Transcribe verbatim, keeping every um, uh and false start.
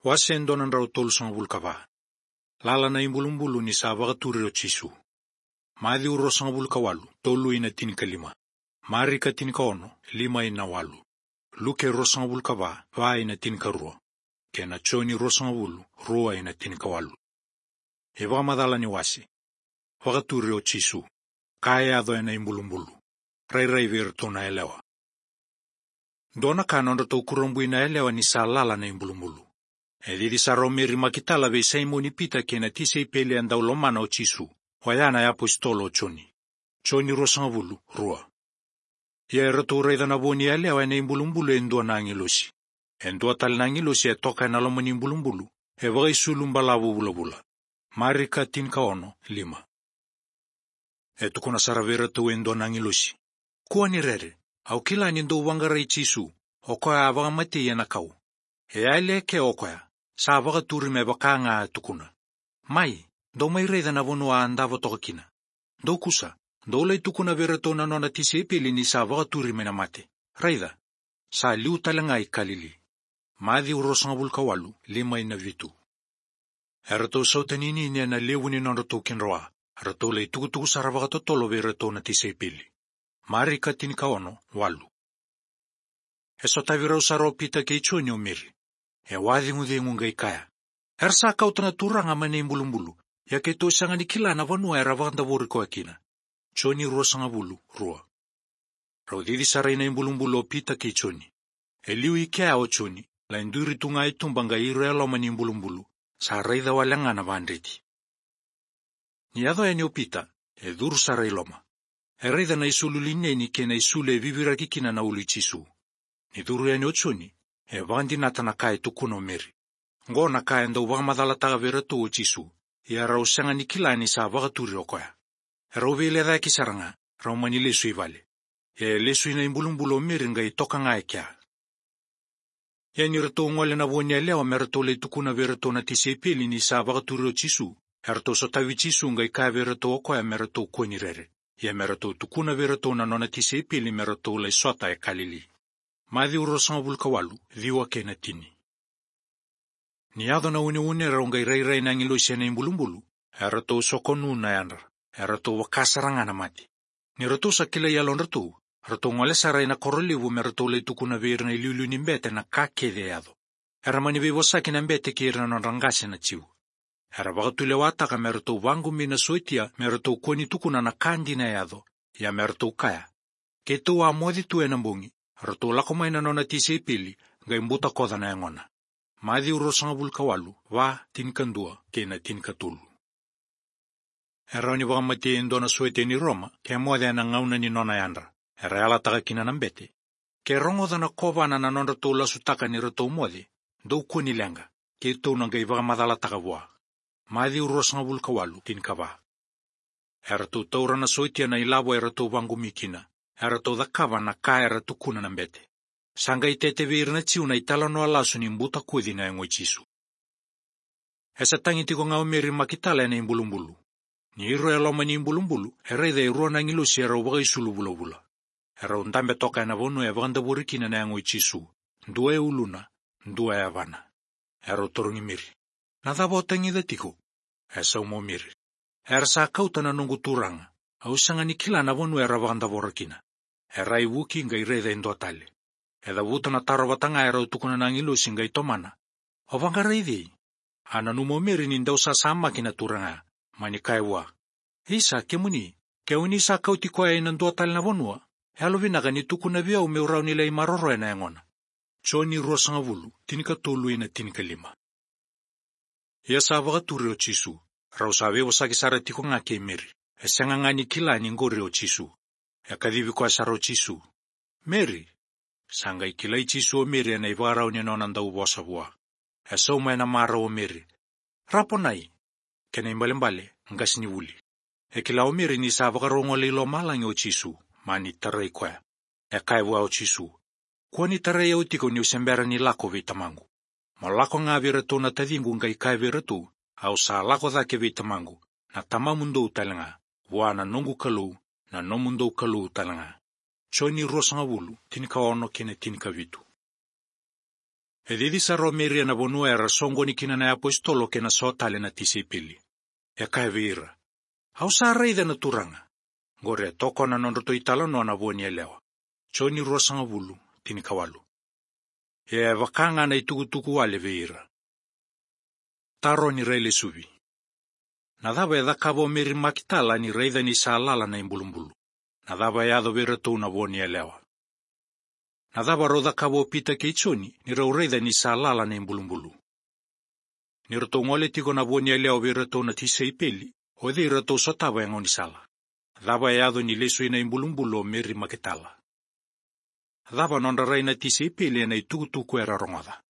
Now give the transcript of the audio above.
Wase e dua na drau tolusagavulu ka va. Lala na ibulubulu ni sa vakaturi o Jisu. Maciu ruasagavulu ka walu, tolu ina tinikalima. Marika tinikaono, lima ina walu. Luke ruasagavulu ka va, va ina tinikarua. Kei na Joni ruasagavulu, rua ina tinikawalu. E vakamacala ni wase. Vakaturi o Jisu. Ka e yaco ena ibulubulu. Rairai vei iratou na yalewa. Dua na ka nodratou kurabui na yalewa ni sa lala na ibulubulu. E cici sara o Meri Makitala vei Saimoni Pita kei na tisaipeli e dau lomana o Jisu, oya na iapositolo o Joni. Joni ruasagavulu, rua. Ia eratou raica na vo ni yalewa ena ibulubulu e dua na agilosi. E dua tale na agilosi e toka ena loma ni ibulubulu, e vakaisulu balavu vulavula. Marika tinikaono, lima. E tukuna sara vei iratou e dua na agilosi. Kua ni rere, au kila ni dou vaqarai Jisu, o koya a vakamatei ena kau. E yali eke o koya, sa vakaturi me vaka ga a tukuna. Mai, dou mai raica na vanua a davo toka kina. Dou kusa, dou lai tukuna vei iratou na nona tisaipeli ni sa vakaturi mai na mate. Raica, sa liu tale ga i Kalili. Maciu ruasagavulu ka walu, lima ina vitu. Eratou sautaninini ena levu ni nodratou kidroa, eratou lai tukutuku sara vakatotolo vei iratou na tisaipeli. Marika tinikaono, walu. E sotavi rau sara o Pita kei Joni o Meri. E wacegucegu qai kaya. Era sa kauta na Turaga mai na ibulubulu, ia keitou sega ni kila na vanua era vakadavori koya kina. Joni ruasagavulu, rua. Rau cici sara ina ibulubulu o Pita kei Joni. E liu i kea o Joni, lai duri tu ga i tuba qai iro e loma ni ibulubulu, sa raica wale ga na vadreti. Ni yaco yani o Pita, e curu sara i loma. E raica na isulu lineni kei na isulu e viviraki kina na ulu i Jisu. Ni curu yani o Joni, e vakadinata na ka e tukuna o Meri. Qo na ka e dau vakamacalataka vei iratou o Jisu, ia rau sega ni kila ni sa vakaturi o koya. Erau veilecayaki sara ga, rau mani lesu i vale. Ia e lesu ina ibulubulu o Meri qai toka ga e kea. Ia ni ratou gole na vo ni yalewa me ratou lai tukuna vei iratou na tisaipeli ni sa vakaturi o Jisu, eratou sotavi Jisu qai kaya vei iratou o koya me ratou kua ni rere. Ia me ratou tukuna vei iratou na nona tisaipeli me ratou lai sota e Kalili. Maciu ruasagavulu ka walu, ciwa kei na tini. Ni yaco na uneune rau qai rairai na agilosi ena ibulubulu, eratou sokonu na yadra, eratou vaka sara ga na mate. Ni ratou sa kilai yalodratou, ratou gole sara ina koro levu me ratou lai tukuna vei ira na iliuliu ni bete na ka kece e yaco. Era mani veivosaki na bete kei ira na nodra qase na Jiu. Era vakatulewataka me ratou vaqumi na sotia me ratou kua ni tukuna na ka dina e yaco, ia me ratou kaya. Keitou a moce tu ena bogi, ratou lako mai na nona tisaipeli, qai butakoca na yagona. Maciu ruasagavulu ka walu, va, tinikadua, kei na tinikatolu. E rawa ni vakamatei e dua na sotia ni Roma, ke moce ena gauna ni nona yadra, era yalataka kina na bete. Ke rogoca na kovana na nodratou lasutaka ni ratou moce, dou kua ni leqa, keitou na qai vakamacalataka vua. Maciu ruasagavulu ka walu, tinikava. Eratou taura na sotia na ilavo eratou vaqumi kina, eratou cakava na ka era tukuna na bete. Sa qai tete vei ira na Jiu na italanoa lasu ni butakoci na yago i Jisu. E sa tagi tiko ga o Meri Makitala ena ibulubulu. Ni iro e loma ni ibulubulu, e raica e rua na agilosi erau vakaisulu vulavula. Erau dabe toka ena vanua e vakadavori kina na yago i Jisu, dua e uluna, dua e yavana. Erau tarogi Meri. Na cava o tagica tiko? E sauma o Meri. Era sa kauta na noqu Turaga, au sega ni kila na vanua era vakadavora kina. E rai vuki qai raica e dua tale. E cavuta na taro vata ga erau tukuna na agilosi qai tomana. O vaqarai cei? A nanuma o Meri ni dau sasamaki na Turaga, mani kaya vua. Isa, kemuni, ke o ni sa kauti koya ina dua tale na vanua, e yalovinaka ni tukuna vei au meu rawa ni lai maroroya na yagona. Joni ruasagavulu, tinikatolu ina tinikalima. Ia sa vakaturi o Jisu, rau sa veivosaki sara tiko ga kei Meri, e sega ga ni kila ni qori o Jisu. E kacivi koya sara o Jisu. Meri! Sa qai kilai Jisu o Meri ena ivakarau ni nona dau vosa vua. E sauma ena marau o Meri. Raponai! Kena ibalebale, qasenivuli. E kila o Meri ni sa vakarau gole i lomalagi o Jisu, mani tarai koya. E kaya vua o Jisu. Kua ni tarai au tiko niu se bera ni lako vei tamaqu. Mo lako ga vei iratou na taciqu qai kaya vei iratou, au sa lako cake vei tamaqu, na tamamudou tale ga, vua na noqu Kalou, na nomudou Kalou tale ga. Joni ruasagavulu, tinikaono kei na tinikavitu. E cici sara o Meri ena vanua era soqoni kina na iapositolo kei na so tale na tisaipeli. E kaya vei ira: "Au sa raica na Turaga." Qori e toka na nodratou italanoa na Vo ni Yalewa. Joni ruasagavulu, tinikawalu. Ia e vaka ga na itukutuku wale vei ira. Taro ni railesuvi. Na cava e cakava o Meri Makitala ni raica ni sa lala na ibulubulu? Na cava e yaco vei iratou na Vo ni Yalewa? Na cava rau cakava o Pita kei Joni ni rau raica ni sa lala na ibulubulu? Ni ratou gole tiko na Vo ni Yalewa vei iratou na tisaipeli, o cei ratou sotava e gaunisala? Cava e yaco ni lesu ina ibulubulu o Meri Makitala? Cava nodra rai na tisaipeli ena itukutuku era rogoca?